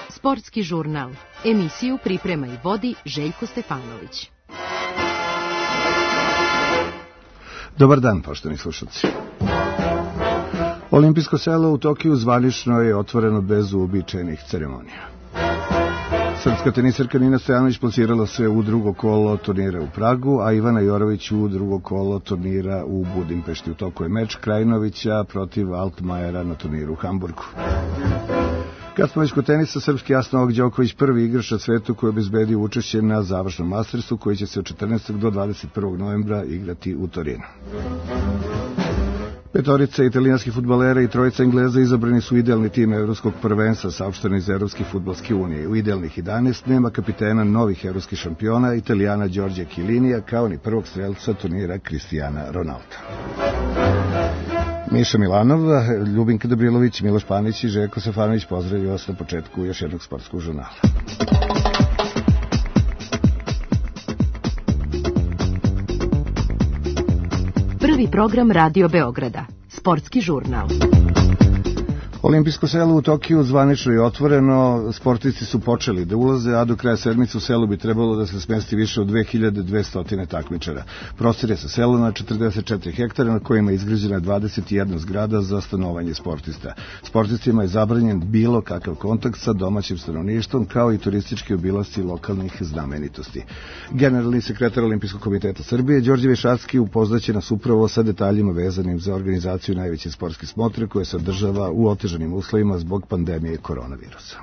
Sportski žurnal. Emisiju priprema i vodi Željko Stefanović. Dobar dan, poštovani slušalci. Olimpijsko selo u Tokiju zvanično je otvoreno bez uobičajenih ceremonija. Srpska teniserka Nina Stojanović plasirala se u drugo kolo turnira u Pragu, a Ivana Jorović u drugo kolo turnira u Budimpešti. U toku je meč Krajinovića protiv Altmajera na turniru u Hamburgu. Kad smo već kod tenisa, srpski Novak Đoković prvi igrač na svetu koji je obezbedio učešće na završnom Mastersu koji će se od 14. do 21. novembra igrati u Torinu. Petorica italijanskih fudbalera i trojica Engleza izabrani su idealni tim evropskog prvenstva, saopšteno iz Evropske fudbalske unije. U idealnih 11 nema kapitena novih evropskih šampiona, Italijana Đorđe Chiellinija, kao ni prvog strelca turnira Cristiana Ronalda. Miša Milanov, Ljubinka Dobrilović, Miloš Panić i Željko Stefanović pozdravljaju vas na početku još jednog sportskog žurnala. Prvi program Radio Beograda. Sportski žurnal. Olimpijsko selo u Tokiju zvanično je otvoreno, sportisti su počeli da ulaze, a do kraja sedmice u selu bi trebalo da se smesti više od 2200 takmičara. Prostor je sa sela na 44 hektara na kojima je izgrađena 21 zgrada za stanovanje sportista. Sportistima je zabranjen bilo kakav kontakt sa domaćim stanovništvom, kao i turistički obilasci lokalnih znamenitosti. Generalni sekretar Olimpijskog komiteta Srbije, Đorđe Višacki, upoznaće nas upravo sa detaljima vezanim za organizaciju najveće sportske smotre koje se održava u otežanim uslovima zbog pandemije koronavirusa.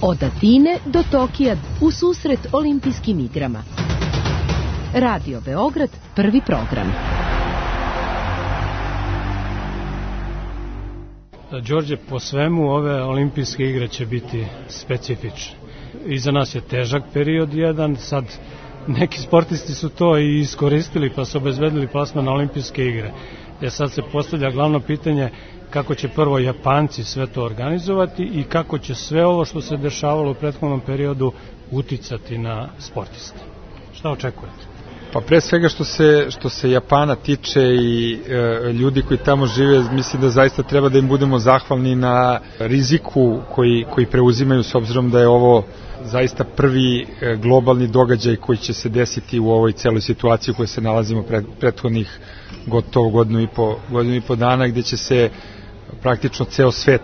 Od Atine do Tokija u susret olimpijskim igrama. Radio Beograd, prvi program. Đorđe, po svemu ove olimpijske igre će biti specifične. Iza nas je težak period jedan, sad neki sportisti su to i iskoristili pa su obezbedili plasman na olimpijske igre. Sad se postavlja glavno pitanje kako će prvo Japanci sve to organizovati i kako će sve ovo što se dešavalo u prethodnom periodu uticati na sportiste. Šta očekujete? Pa pre svega što se Japana tiče i ljudi koji tamo žive, mislim da zaista treba da im budemo zahvalni na riziku koji preuzimaju, s obzirom da je ovo zaista prvi globalni događaj koji će se desiti u ovoj celoj situaciji u kojoj se nalazimo prethodnih gotovo godinu i po dana, gde će se praktično ceo svet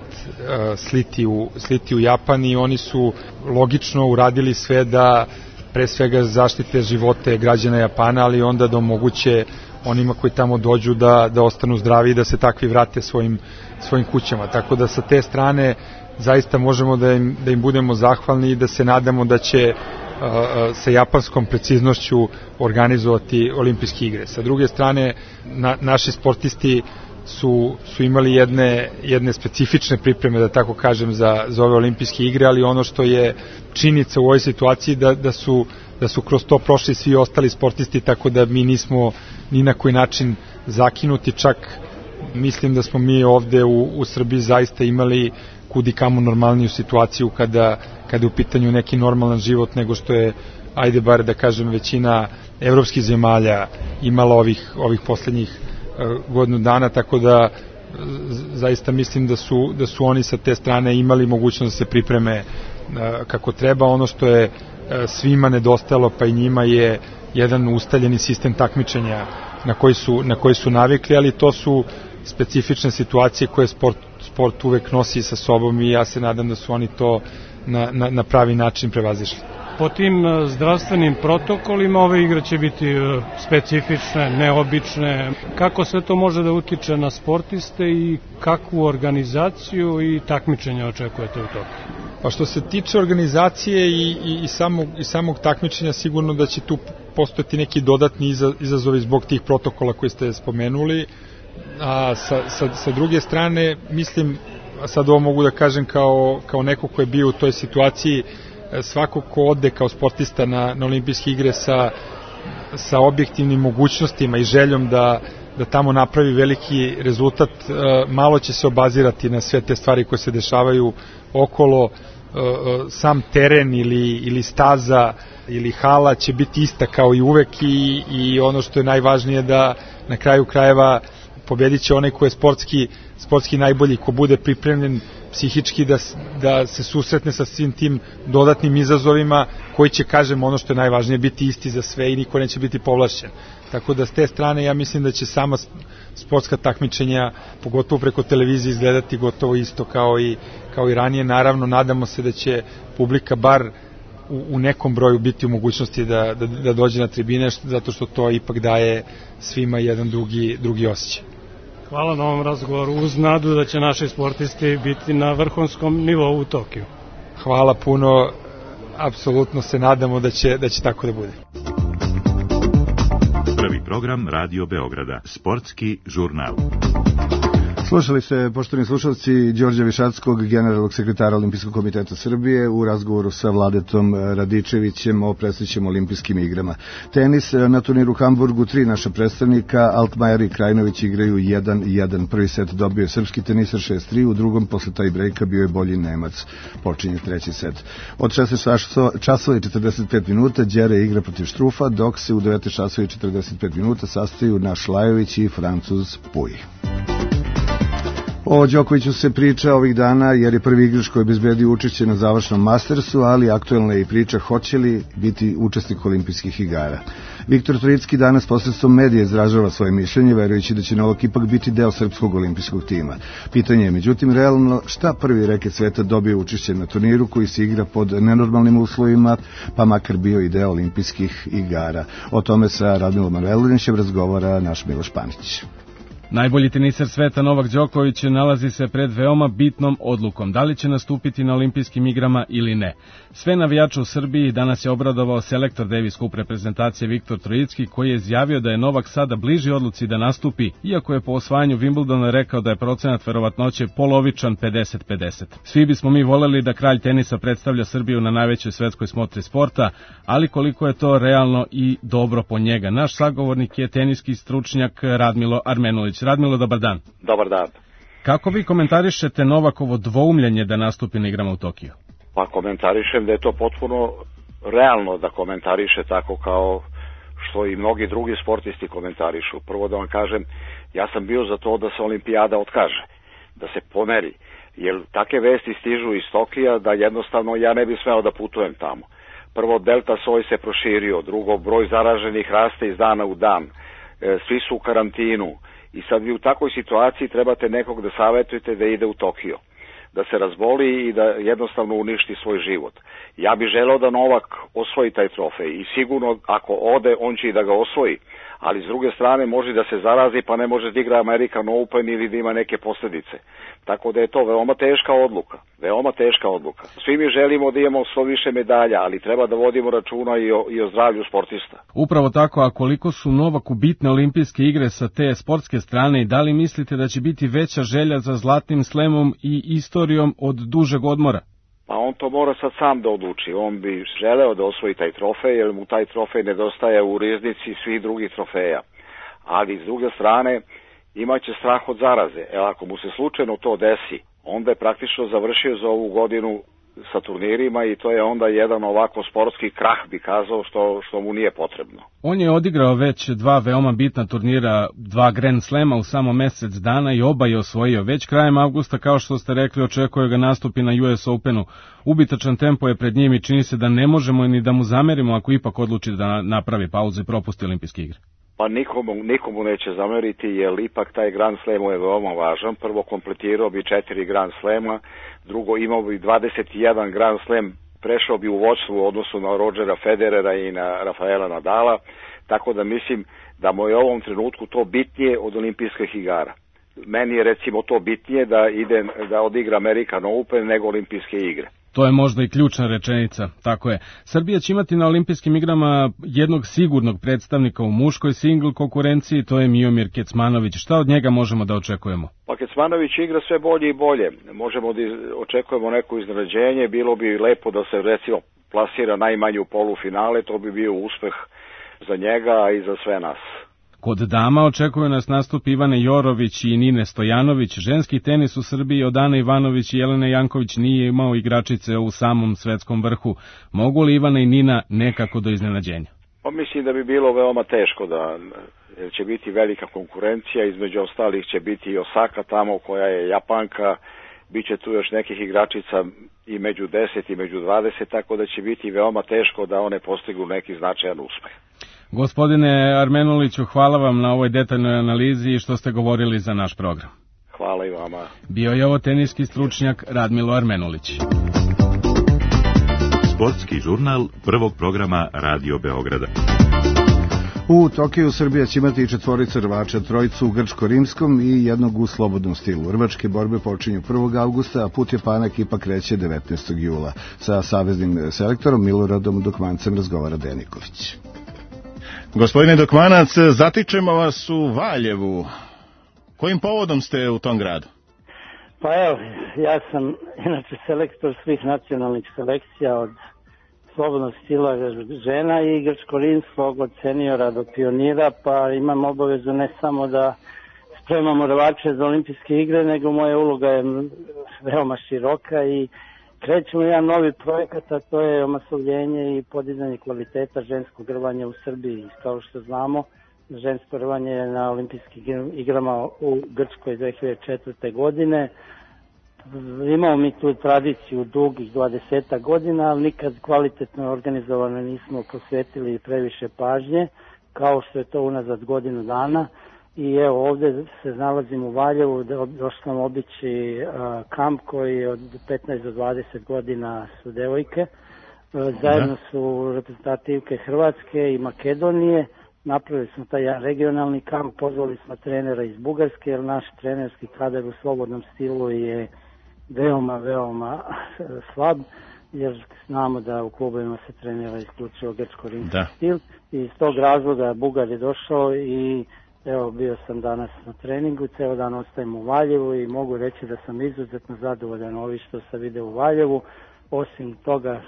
sliti u Japan i oni su logično uradili sve da pre svega zaštite živote građana Japana, ali onda da omoguće onima koji tamo dođu da ostanu zdravi i da se takvi vrate svojim kućama. Tako da sa te strane zaista možemo da im budemo zahvalni i da se nadamo da će sa japanskom preciznošću organizovati olimpijske igre. Sa druge strane, naši sportisti su imali jedne specifične pripreme, da tako kažem, za ove olimpijske igre, ali ono što je činjenica u ovoj situaciji da su kroz to prošli svi ostali sportisti, tako da mi nismo ni na koji način zakinuti, čak mislim da smo mi ovde u Srbiji zaista imali kudi kamo normalniju situaciju kada je u pitanju neki normalan život nego što je, ajde bar da kažem, većina evropskih zemalja imala ovih poslednjih godinu dana, tako da zaista mislim da su oni sa te strane imali mogućnost da se pripreme kako treba. Ono što je svima nedostajalo, pa i njima, je jedan ustaljeni sistem takmičenja na koji su navikli, ali to su specifične situacije koje sport uvek nosi sa sobom i ja se nadam da su oni to na pravi način prevazišli. Po tim zdravstvenim protokolima ove igre će biti specifične, neobične. Kako sve to može da utiče na sportiste i kakvu organizaciju i takmičenja očekujete u Tokiju? Pa što se tiče organizacije i samog takmičenja, sigurno da će tu postojati neki dodatni izazovi zbog tih protokola koje ste spomenuli. A sa druge strane, mislim, sad ovo mogu da kažem kao neko ko je bio u toj situaciji, svako ko ode kao sportista na olimpijske igre sa objektivnim mogućnostima i željom da tamo napravi veliki rezultat, malo će se obazirati na sve te stvari koje se dešavaju okolo. Sam teren ili staza ili hala će biti ista kao i uvek i ono što je najvažnije da na kraju krajeva pobedit će onaj ko je sportski najbolji, ko bude pripremljen psihički da se susretne sa svim tim dodatnim izazovima koji će, kažem, ono što je najvažnije, biti isti za sve i niko neće biti povlašćen. Tako da s te strane ja mislim da će sama sportska takmičenja, pogotovo preko televizije, izgledati gotovo isto kao i ranije. Naravno, nadamo se da će publika bar u nekom broju biti u mogućnosti da dođe na tribine, zato što to ipak daje svima jedan drugi osjećaj. Hvala na ovom razgovoru, uz nadu da će naši sportisti biti na vrhunskom nivou u Tokiju. Hvala puno, apsolutno se nadamo da će tako da bude. Prvi program Radio Beograda, sportski žurnal. Slušali ste, poštovani slušalci, Đorđa Višatskog, generalnog sekretara Olimpijskog komiteta Srbije, u razgovoru sa Vladetom Radičevićem o predstojećim olimpijskim igrama. Tenis na turniru u Hamburgu, 3 naša predstavnika, Altmajer i Krajinović, igraju 1-1. Prvi set dobio je srpski tenisar 6-3, u drugom posle taj brejka bio je bolji Nemac. Počinje treći set. Od 16 časova i 45 minuta Đere igra protiv Štrufa, dok se u 19 časova i 45 minuta sastaju naš Lajović i Francuz Puj. O Đokoviću se priča ovih dana jer je prvi igrač koji obezbedio učešće na završnom Mastersu, ali aktuelna je i priča hoće li biti učesnik olimpijskih igara. Viktor Trojicki danas posredstvom medija izražava svoje mišljenje, verujući da će Novak ipak biti deo srpskog olimpijskog tima. Pitanje je, međutim, realno šta prvi reket sveta dobije učešće na turniru koji se igra pod nenormalnim uslovima, pa makar bio i deo olimpijskih igara. O tome sa Radmilom Manojlovićem razgovara naš Miloš Panić. Najbolji tenisar sveta Novak Đoković nalazi se pred veoma bitnom odlukom, da li će nastupiti na olimpijskim igrama ili ne. Sve navijače u Srbiji danas je obradovao selektor Davis Cup reprezentacije Viktor Trojicki, koji je izjavio da je Novak sada bliži odluci da nastupi, iako je po osvajanju Wimbledona rekao da je procenat verovatnoće polovičan 50-50. Svi bismo mi voleli da kralj tenisa predstavlja Srbiju na najvećoj svetskoj smotri sporta, ali koliko je to realno i dobro po njega. Naš sagovornik je teniski stručnjak Radmilo Armenulić. Radmilo, dobar dan. Dobar dan. Kako vi komentarišete Novakovo dvoumljenje da nastupi na igrama u Tokiju? Pa komentarišem da je to potpuno realno da komentariše tako kao što i mnogi drugi sportisti komentarišu. Prvo da vam kažem, ja sam bio za to da se olimpijada otkaže, da se pomeri, jer takve vesti stižu iz Tokija da jednostavno ja ne bih smeo da putujem tamo. Prvo, delta soj se proširio, drugo, broj zaraženih raste iz dana u dan, svi su u karantinu i sad vi u takvoj situaciji trebate nekog da savjetujete da ide u Tokio, da se razboli i da jednostavno uništi svoj život. Ja bih želeo da Novak osvoji taj trofej i sigurno ako ode on će i da ga osvoji, ali s druge strane može da se zarazi pa ne može da igra American Open ili da ima neke posljedice. Tako da je to veoma teška odluka, veoma teška odluka. Svi mi želimo da imamo što više medalja, ali treba da vodimo računa i o zdravlju sportista. Upravo tako, a koliko su Novaku bitne olimpijske igre sa te sportske strane i da li mislite da će biti veća želja za zlatnim slemom i istorijom od dužeg odmora? Pa on to mora sad sam da odluči. On bi želeo da osvoji taj trofej, jer mu taj trofej nedostaje u riznici svih drugih trofeja. Ali s druge strane imaće strah od zaraze. Ako mu se slučajno to desi, onda je praktično završio za ovu godinu sa turnirima i to je onda jedan ovako sportski krah, bi kazao, što mu nije potrebno. On je odigrao već 2 veoma bitna turnira, 2 Grand Slema u samo mesec dana i oba je osvojio. Već krajem avgusta, kao što ste rekli, očekuje ga nastupi na US Openu. Ubitačan tempo je pred njim i čini se da ne možemo ni da mu zamerimo ako ipak odluči da napravi pauzu i propusti olimpijske igre. Pa nikomu neće zameriti, jer ipak taj Grand Slam je veoma važan. Prvo, kompletirao bi 4 Grand Slema, drugo, imao bi 21 Grand Slam, prešao bi u vođstvu u odnosu na Rodgera Federera i na Rafaela Nadala, tako da mislim da mu je u ovom trenutku to bitnije od olimpijskih igara. Meni je recimo to bitnije da odigra American Open nego olimpijske igre. To je možda i ključna rečenica, tako je. Srbija će imati na olimpijskim igrama jednog sigurnog predstavnika u muškoj singl konkurenciji, to je Miomir Kecmanović. Šta od njega možemo da očekujemo? Pa Kecmanović igra sve bolje i bolje. Možemo da očekujemo neko iznenađenje, bilo bi lepo da se recimo plasira najmanje u polufinale, to bi bio uspeh za njega i za sve nas. Kod dama očekuju nas nastup Ivane Jorović i Nine Stojanović. Ženski tenis u Srbiji od Ane Ivanović i Jelene Janković nije imao igračice u samom svetskom vrhu. Mogu li Ivana i Nina nekako do iznenađenja? Pa mislim da bi bilo veoma teško jer će biti velika konkurencija, između ostalih će biti i Osaka tamo koja je Japanka, bit će tu još nekih igračica i među 10 i među 20, tako da će biti veoma teško da one postignu neki značajan uspeh. Gospodine Armenuliću, hvala vam na ovoj detaljnoj analizi i što ste govorili za naš program. Hvala i vama. Bio je ovo teniski stručnjak Radmilo Armenulić. Sportski žurnal prvog programa Radio Beograda. U Tokiju Srbija će imati 4 rvača, 3 u grčko-rimskom i 1 u slobodnom stilu. Rvačke borbe počinju 1. augusta, a put Japana ekipa kreće 19. jula. Sa saveznim selektorom Miloradom Dokmancem razgovara Deniković. Gospodine Dokmanac, zatičemo vas u Valjevu. Kojim povodom ste u tom gradu? Pa evo, ja sam inače selektor svih nacionalnih selekcija od slobodnog stila žena i grčko-rimskog od seniora do pionira, pa imam obavezu ne samo da spremamo rvače za olimpijske igre, nego moja uloga je veoma široka i krećemo jedan novi projekat, a to je omasovljenje i podizanje kvaliteta ženskog rvanja u Srbiji. Kao što znamo, žensko rvanje je na olimpijskim igrama u Grčkoj 2004. godine. Imamo mi tu tradiciju dugih 20 godina, ali nikad kvalitetno organizovano nismo posvetili previše pažnje, kao što je to unazad godinu dana. I evo ovde se nalazim u Valjevu, došli nam obići kamp koji od 15 do 20 godina su devojke. Zajedno su reprezentativke Hrvatske i Makedonije. Napravili smo taj regionalni kamp, pozvali smo trenera iz Bugarske, jer naš trenerski kadar u slobodnom stilu je veoma slab, jer znamo da u klubovima se trenira isključivo grčko-rimski stil. I iz tog razloga Bugar je došao i evo bio sam danas na treningu, ceo dan ostajem u Valjevu i mogu reći da sam izuzetno zadovoljan ovi što sam vidio u Valjevu, osim toga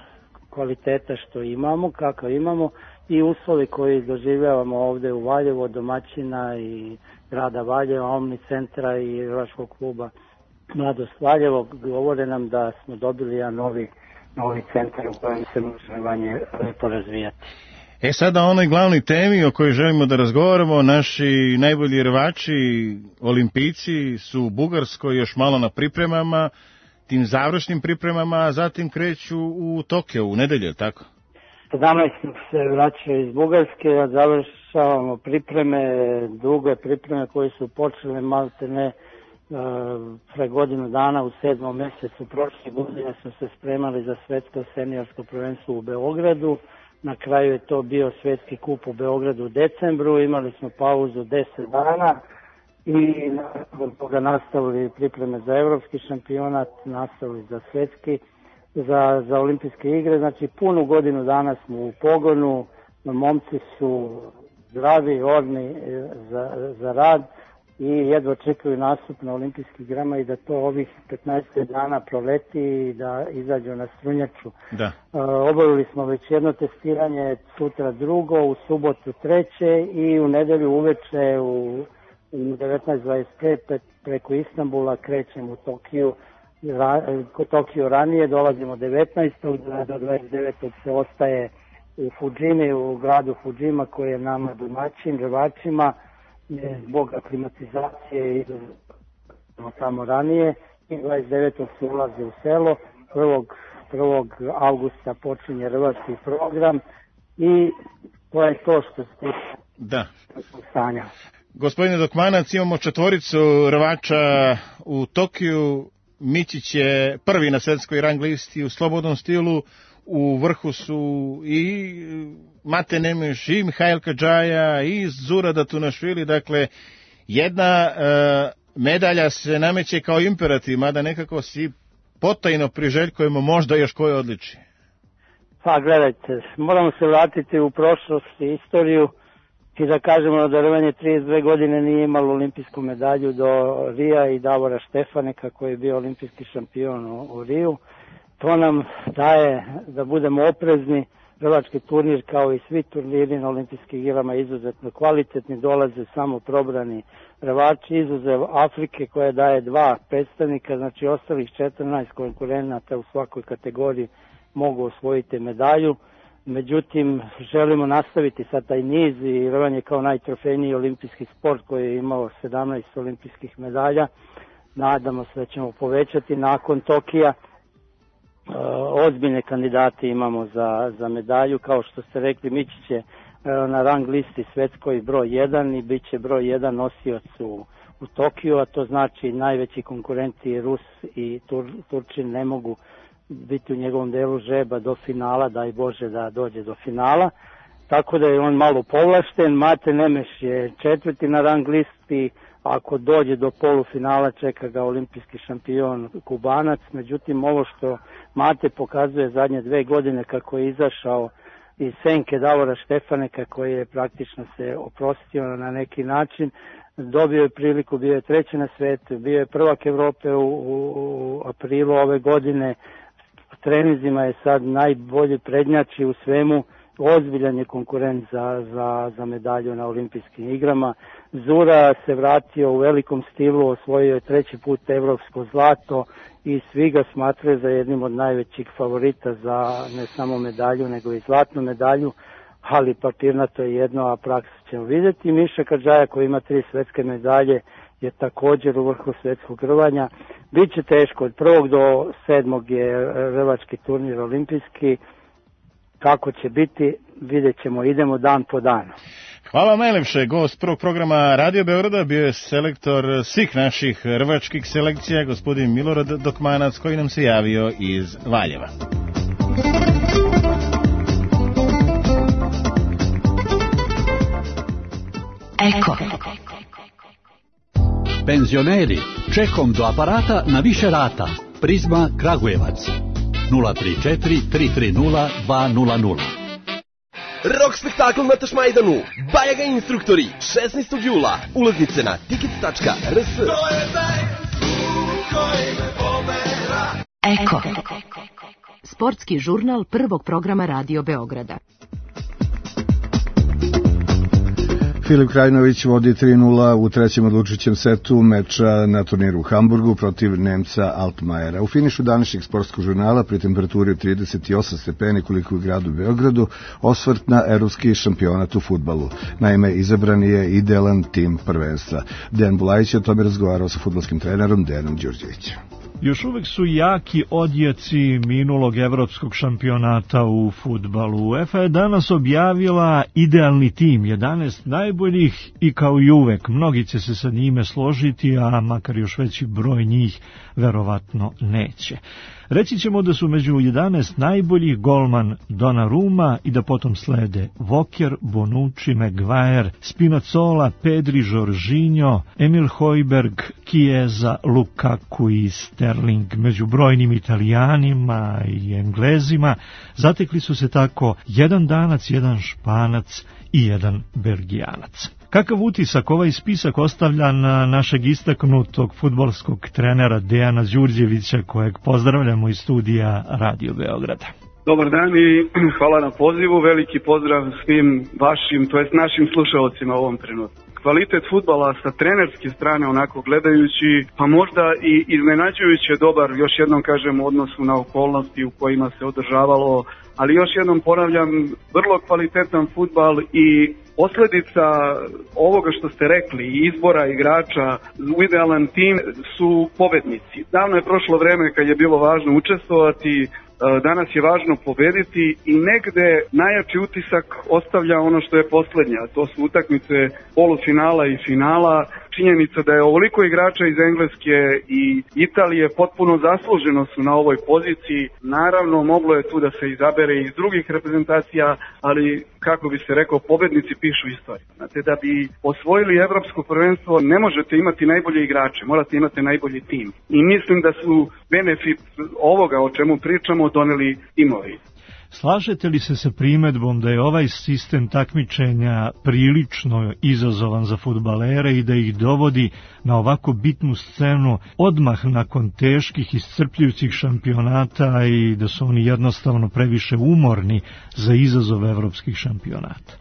kvaliteta što imamo, kakav imamo i uslovi koji doživljavamo ovde u Valjevu od domaćina i grada Valjeva, Omni centra i rvačkog kluba Mladost Valjevo, govore nam da smo dobili jedan novi centar u kojem se može rvanje lepo razvijati. Sada o onoj glavnoj temi o kojoj želimo da razgovaramo, naši najbolji rvači, olimpijci su u Bugarskoj još malo na pripremama, tim završnim pripremama, a zatim kreću u Tokio u nedelju, tako? Danas se vraćaju iz Bugarske, a završavamo pripreme, duge pripreme koje su počele malte ne pre godinu dana u 7. mesecu prošle godine smo se spremali za svetsko seniorsko prvenstvo u Beogradu. Na kraju je to bio svetski kup u Beogradu u decembru, imali smo pauzu 10 dana i nakon toga nastavili pripreme za evropski šampionat, nastavili za svetski, za olimpijske igre. Znači punu godinu dana smo u pogonu, momci su zdravi, orni za rad i jedva čekaju nastup na olimpijskih igrama i da to ovih 15 dana proleti i da izađu na strunjaču. Obavili smo već jedno testiranje, sutra drugo, u subotu treće i u nedelju uveče u 19:25 preko Istanbula krećemo u Tokiju ranije, dolazimo 19. do 29. se ostaje u Fudžimi, u gradu Fudžima koji je nama domaćin, rvačima, zbog aklimatizacije i tamo ranije i 29. se ulazi u selo, 1. augusta počinje rvački program i to je to što se stanja. Gospodine Dokmanac, imamo 4 rvača u Tokiju, Mićić je prvi na svetskoj rang listi u slobodnom stilu, u vrhu su i Mate Nemeš, i Mihail Kadžaja, i Zurada Tunašvili, dakle, jedna medalja se nameće kao imperativ, mada nekako si potajno priželjkujemo možda još koje odličje. Pa gledajte, moramo se vratiti u prošlost i istoriju i da kažemo da rvanje 32 godine nije imalo olimpijsku medalju do Rija i Davora Štefaneka koji je bio olimpijski šampion u Riju. To nam daje da budemo oprezni. Rvački turnir kao i svi turniri na olimpijskih igrama izuzetno kvalitetni, dolaze samo probrani rvači, izuzev Afrike koja daje 2 predstavnika, znači ostalih 14 konkurenata u svakoj kategoriji mogu osvojiti medalju. Međutim, želimo nastaviti sad taj niz i rvanje kao najtrofejniji olimpijski sport koji je imao 17 olimpijskih medalja. Nadamo se da ćemo povećati nakon Tokija. Ozbiljne kandidate imamo za medalju. Kao što ste rekli, Mićić je na rang listi svetskoj broj 1 i bit će broj 1 nosioc u Tokiju, a to znači najveći konkurenti Rus i Turčin ne mogu biti u njegovom delu žreba do finala, daj Bože da dođe do finala, tako da je on malo povlašten. Mate Nemeš je 4. na rang listi, ako dođe do polufinala čeka ga olimpijski šampion Kubanac. Međutim, ovo što Mate pokazuje zadnje 2 godine kako je izašao iz senke Davora Štefaneka koji je praktično se oprostio na neki način, dobio je priliku, bio je 3. na svetu, bio je prvak Evrope u aprilu ove godine, treninzima je sad najbolji prednjači u svemu, ozbiljan je konkurent za medalju na olimpijskim igrama. Zura se vratio u velikom stilu, osvojio je 3. put evropsko zlato i svi ga smatraju za jednim od najvećih favorita za ne samo medalju nego i zlatnu medalju, ali papirnato je jedno, a praksu ćemo vidjeti. Miša Kadžaja koji ima 3 svetske medalje je također u vrhu svetskog rvanja. Biće teško, od 1. do 7. je rvački turnir olimpijski. Kako će biti, vidjet ćemo, idemo dan po dan. Hvala vam najlepše. Gost prvog programa Radio Beograda bio je selektor svih naših rvačkih selekcija, gospodin Milorad Dokmanac, koji nam se javio iz Valjeva. Eko. Penzioneri, čekom do aparata na više rata. Prizma Kragujevac 034 330 200. Rok spektakl na Tašmajdanu. Bajaga instruktori. 16. jula. Ulaznice na tickets.rs. Eko. Sportski žurnal prvog programa Radio Beograda. Filip Krajinović vodi 3:0 u trećem odlučujućem setu meča na turniru u Hamburgu protiv Nemca Altmajera. U finišu današnjeg sportskog žurnala pri temperaturi od 38 stepeni koliko u gradu Beogradu osvrt na evropski šampionat u fudbalu. Naime, izabran je idealan tim prvenstva. Dejan Bulajić je o tome razgovarao sa fudbalskim trenerom Dejanom Đurđevićem. Još uvek su jaki odjeci minulog evropskog šampionata u fudbalu. UEFA je danas objavila idealni tim, 11 najboljih i kao i uvek, mnogi će se sa njime složiti, a makar još veći broj njih verovatno neće. Reći ćemo da su među 11 najboljih golman Donnarumma i da potom slede Walker, Bonucci, Maguire, Spinazzola, Pedri, Jorginho, Emil Højbjerg, Chiesa, Lukaku i Sterling. Među brojnim Italijanima i Englezima zatekli su se tako jedan Danac, jedan Španac i jedan Belgijanac. Kakav utisak ovaj spisak ostavlja na našeg istaknutog fudbalskog trenera Dejana Đurđevića, kojeg pozdravljamo iz studija Radio Beograda? Dobar dan i hvala na pozivu, veliki pozdrav svim vašim, to jest našim slušalcima u ovom trenutku. Kvalitet fudbala sa trenerske strane, onako gledajući, pa možda i iznenađujuće dobar, još jednom kažem, u odnosu na okolnosti u kojima se održavalo, ali još jednom ponavljam, vrlo kvalitetan fudbal i posljedica ovoga što ste rekli, izbora igrača u idealan tim su pobednici. Davno je prošlo vreme kad je bilo važno učestvovati, danas je važno pobediti i negde najjači utisak ostavlja ono što je posljednja, to su utakmice polufinala i finala. Činjenica da je ovoliko igrača iz Engleske i Italije potpuno zasluženo su na ovoj poziciji. Naravno, moglo je tu da se izabere iz drugih reprezentacija, ali kako bi se rekao, pobednici pišu istoriju. Znate, da bi osvojili evropsko prvenstvo ne možete imati najbolje igrače, morate imati najbolji tim. I mislim da su benefit ovoga o čemu pričamo doneli timovi. Slažete li se sa primedbom da je ovaj sistem takmičenja prilično izazovan za fudbalere i da ih dovodi na ovako bitnu scenu odmah nakon teških iscrpljujućih šampionata i da su oni jednostavno previše umorni za izazov evropskih šampionata?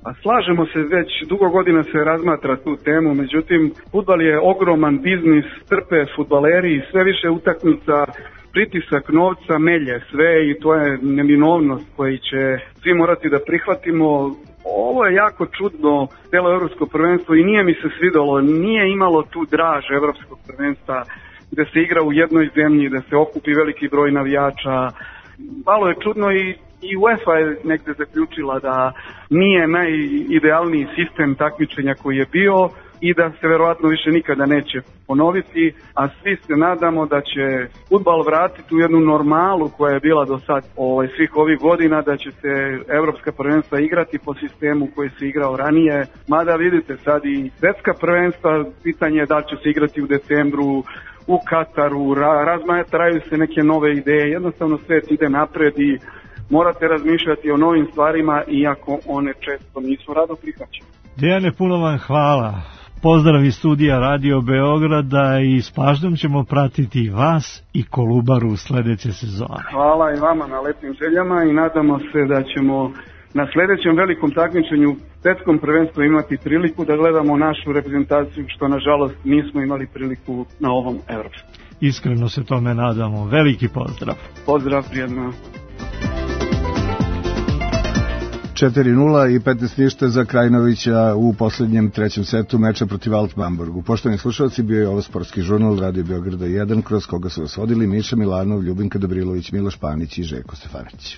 A slažemo se, već dugo godina se razmatra tu temu, međutim, fudbal je ogroman biznis, trpe fudbaleri i sve više utakmica pritisak novca melje sve i to je neminovnost koji će svi morati da prihvatimo. Ovo je jako čudno, celo evropsko prvenstvo, i nije mi se svidalo, nije imalo tu draž evropskog prvenstva gde se igra u jednoj zemlji, da se okupi veliki broj navijača. Malo je čudno i UEFA je negde zaključila da nije najidealniji sistem takmičenja koji je bio i da se verovatno više nikada neće ponoviti, a svi se nadamo da će fudbal vratiti u jednu normalu koja je bila do sad svih ovih godina, da će se evropska prvenstva igrati po sistemu koji se igrao ranije, mada vidite sad i svetska prvenstva, pitanje je da će se igrati u decembru, u Kataru, razmatraju se neke nove ideje, jednostavno svet ide napred i morate razmišljati o novim stvarima, iako one često nisu rado prihvaćene. Dejane, puno vam hvala. Pozdrav iz studija Radio Beograda i s pažnjom ćemo pratiti vas i Kolubaru sledeće sezone. Hvala i vama na lepim željama i nadamo se da ćemo na sledećem velikom takmičenju svetskom prvenstvu imati priliku da gledamo našu reprezentaciju, što nažalost nismo imali priliku na ovom evropskom. Iskreno se tome nadamo. Veliki pozdrav. Pozdrav, prijedno. 4-0 i 15-0 za Krajinovića u poslednjem trećem setu meča protiv Alt-Bamburgu. Poštovani slušalci, bio je ovo sportski žurnal Radio Beograda 1, kroz koga su vas vodili Miša Milanov, Ljubinka Dobrilović, Miloš Panić i Željko Stefanić.